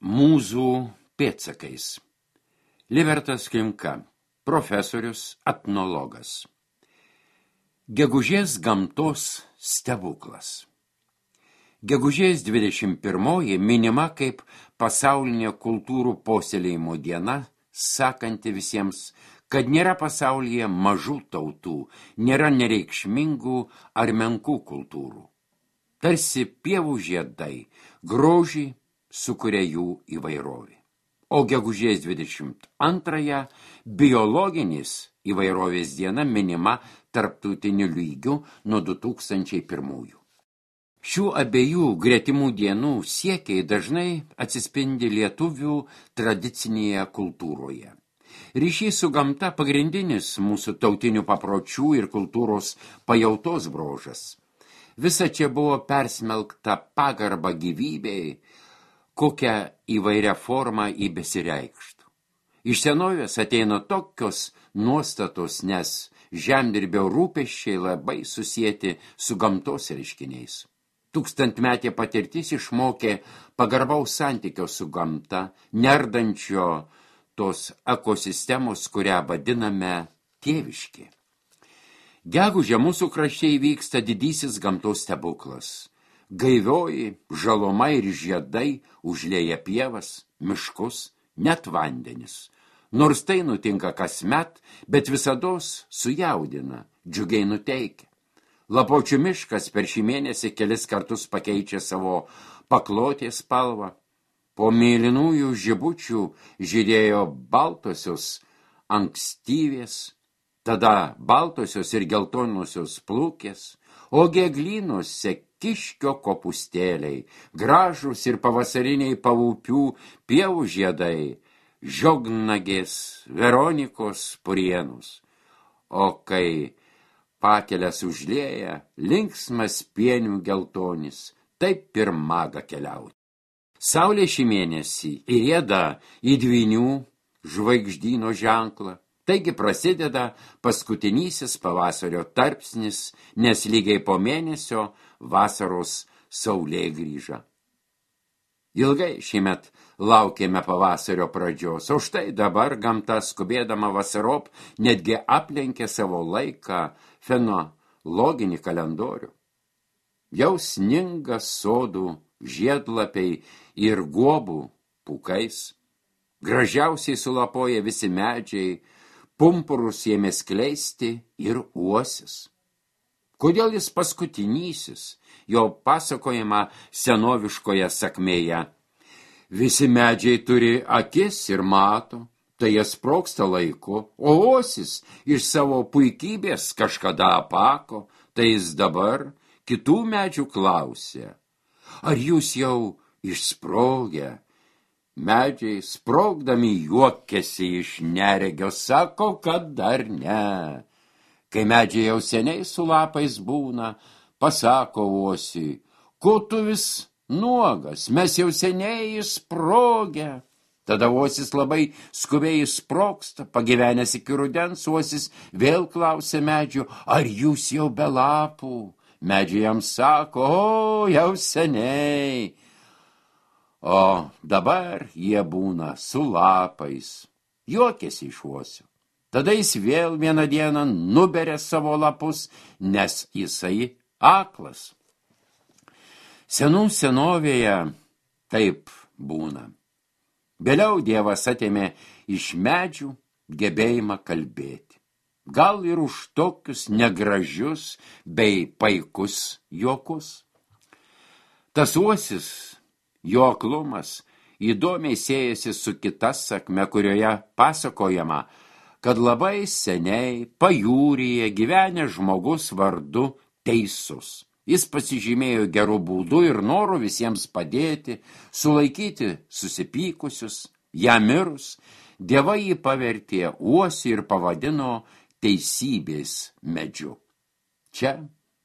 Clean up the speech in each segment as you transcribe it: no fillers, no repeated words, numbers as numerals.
Mūzų pėdsakais. Libertas Klimka, profesorius, etnologas. Gegužės gamtos stebuklas. Gegužės 21 minima kaip pasaulinė kultūrų puoselėjimo diena, sakanti visiems, kad nėra pasaulyje mažų tautų, nėra nereikšmingų ar menkų kultūrų. Tarsi pievų žiedai, grožį sukuria jų įvairovė. O gegužės 22 biologinis įvairovės diena minima tarptautiniu lygiu nuo 2001. Šių abiejų gretimų dienų siekiai dažnai atsispindi lietuvių tradicinėje kultūroje. Ryšys su gamta pagrindinis mūsų tautinių papročių ir kultūros pajautos bruožas. Visa čia buvo persmelkta pagarba gyvybei, kokią įvairią formą į besireikštų. Iš senovės ateina tokios nuostatos, nes žemdirbio rūpesčiai labai susieti su gamtos reiškiniais. Tūkstantmetė patirtis išmokė pagarbaus santykio su gamta, nerdančio tos ekosistemos, kurią vadiname tėviškė. Gegužę mūsų krašte įvyksta didysis gamtos stebuklas. Gaivioji žaluma ir žiedai užlieja pievas, miškus, net vandenis. Nors tai nutinka kasmet, bet visados sujaudina, džiugiai nuteikia. Lapuočių miškas per šį mėnesį kelis kartus pakeičia savo paklotės spalvą. Po mėlynųjų žibučių žydėjo baltosios ankstyvės, tada baltosios ir geltonosios plūkės, o geglynuose kiškio kopūstėliai, gražūs ir pavasariniai pavūpių pievų žiedai, žiognagės, Veronikos purienus. O kai pakelės užlieja, linksmas pienių geltonis, taip ir maga keliauti. Saulė šį mėnesį įrieda į dvynių žvaigždyno ženklą. Taigi prasideda paskutinysis pavasario tarpsnis, nes lygiai po mėnesio vasaros saulė grįža. Ilgai šįmet laukėme pavasario pradžios, o štai dabar gamta skubėdama vasarop netgi aplenkė savo laiką fenologinį kalendorių. Jau sninga sodų žiedlapiai ir guobų pūkais. Gražiausiai sulapoja visi medžiai, pumpurus ėmė skleisti ir uosis. Kodėl jis paskutinysis, jo pasakojama senoviškoje sakmėje? Visi medžiai turi akis ir mato, tai jie sprogsta laiku, o uosis iš savo puikybės kažkada apako, tai jis dabar kitų medžių klausė. Ar jūs jau išsprogę? Medžiai sprogdami juokėsi iš neregio, sako, kad dar ne. Kai medžiai jau seniai su lapais būna, pasako uosiui, ko tu vis nuogas, mes jau seniai išsprogę. Tada uosis labai skubiai išsprogsta, pagyvenęs iki rudens, uosis vėl klausė medžių, ar jūs jau be lapų? Medžiai jam sako, o, jau seniai. O dabar jie būna su lapais. Juokėsi iš uosio. Tada jis vėl vieną dieną nuberia savo lapus, nes jisai aklas. Senų senovėje taip būna. Vėliau Dievas atėmė iš medžių gebėjimą kalbėti. Gal ir už tokius negražius bei paikus juokus. Tas uosis, jo aklumas, įdomiai siejasi su kita sakme, kurioje pasakojama, kad labai seniai pajūryje gyvenęs žmogus vardu Teisus. Jis pasižymėjo gerų būdų ir norų visiems padėti, sulaikyti susipykusius. Jam mirus, dievai jį pavertė uosį ir pavadino teisybės medžiu. Čia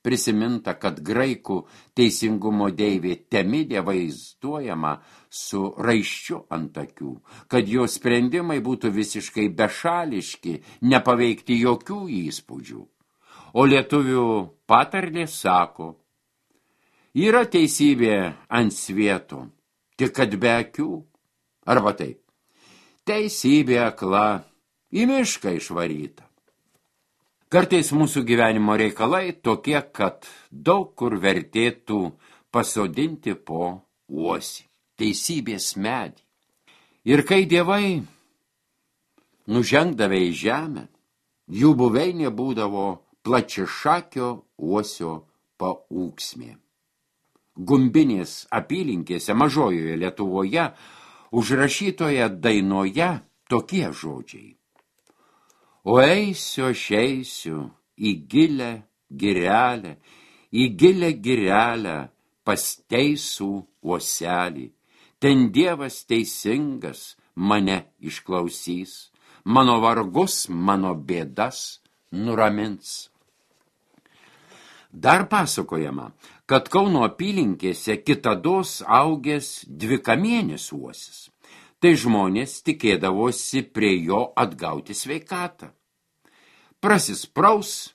prisiminta, kad graikų teisingumo deivė Temidė vaizduojama su raiščiu ant akių, kad jo sprendimai būtų visiškai bešališki, nepaveikti jokių įspūdžių. O lietuvių patarlė sako, yra teisybė ant svieto, tik kad be akių Arba taip. Teisybė akla, į mišką išvaryta. Kartais mūsų gyvenimo reikalai tokie, kad daug kur vertėtų pasodinti po uosį, teisybės medį. Ir kai dievai nužengdavę į žemę, jų buveinė būdavo plačiašakio uosio paūksmė. Gumbinės apylinkėse mažojoje Lietuvoje užrašytoje dainoje tokie žodžiai. O eisiu aš eisiu į gilę girelę, į gilę girelę pas teisų uoselį. Ten Dievas teisingas mane išklausys, mano vargus, mano bėdas nuramins. Dar pasakojama, kad Kauno apylinkėse kitados augęs dvikamienis uosis. Tai žmonės tikėdavosi prie jo atgauti sveikatą. Prasispraus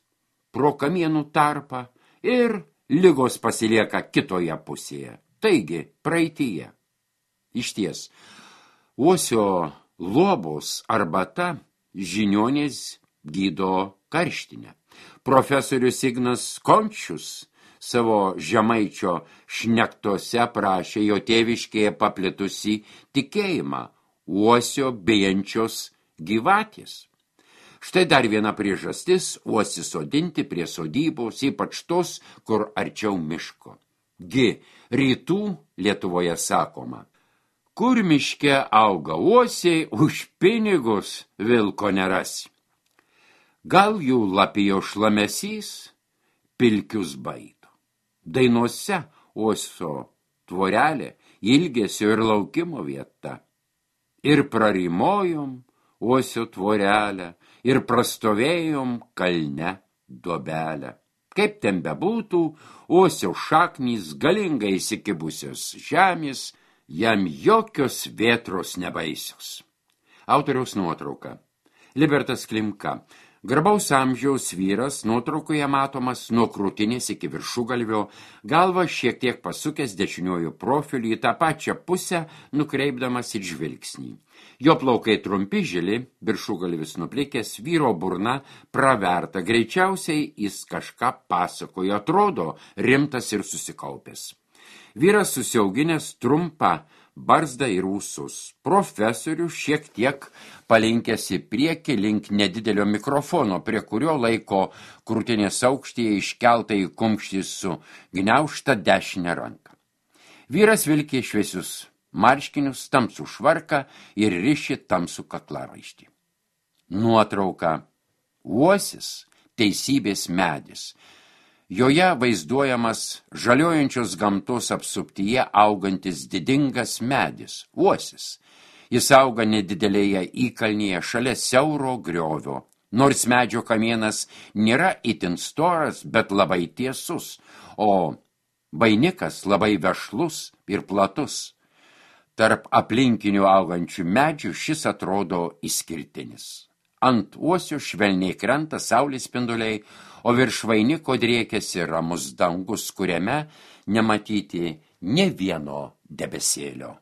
pro kamienų tarpą ir ligos pasilieka kitoje pusėje, taigi praeityje. Išties, uosio luobos arbata žiniuonės gydo karštinę. Profesorius Ignas Končius savo žemaičio šnektose prašė jo tėviškėje paplitusi tikėjimą uosio bijančios gyvatės. Štai dar viena priežastis uosį sodinti prie sodybos, ypač tos, kur arčiau miško. Rytų Lietuvoje sakoma, kur miške auga uosiai, už pinigus vilko nerasi. Gal jų lapijo šlamesys pilkius baido. Dainose uosio tvorelė ilgesio ir laukimo vieta. Ir prarimojom uosio tvorelę, ir prastovėjom kalne duobelę. Kaip ten bebūtų, uosio šaknys galingai įsikibusios žemės, jam jokios vėtros nebaisios. Autoriaus nuotrauka. Libertas Klimka. Garbaus amžiaus vyras, nuotraukoje matomas nuo krūtinės iki viršugalvio, galva šiek tiek pasukęs dešiniuoju profiliu į tą pačią pusę, nukreipdamas ir žvilgsnį. Jo plaukai trumpi žili, viršugalvis nuplikęs, vyro burna praverta, greičiausiai jis kažką pasakojo, atrodo rimtas ir susikaupęs. Vyras susiauginęs trumpą barzdą ir ūsus. Profesorius šiek tiek palinkęs į priekį link nedidelio mikrofono, prie kurio laiko krūtinės aukštyje iškeltą į kumštį su gniaužta dešinę ranką. Vyras vilkė šviesius marškinius, tamsų švarką ir riši tamsų kaklaraištį. Nuotrauka. Uosis teisybės medis. Joje vaizduojamas žaliojančios gamtos apsuptyje augantis didingas medis, uosis. Jis auga nedidelėje įkalnyje šalia siauro griovio, nors medžio kamienas nėra itin storas, bet labai tiesus, o vainikas labai vešlus ir platus. Tarp aplinkinių augančių medžių šis atrodo išskirtinis. Ant uosio švelniai krenta saulės spinduliai, o virš vainiko driekiasi ramus dangus, kuriame nematyti nė vieno debesėlio.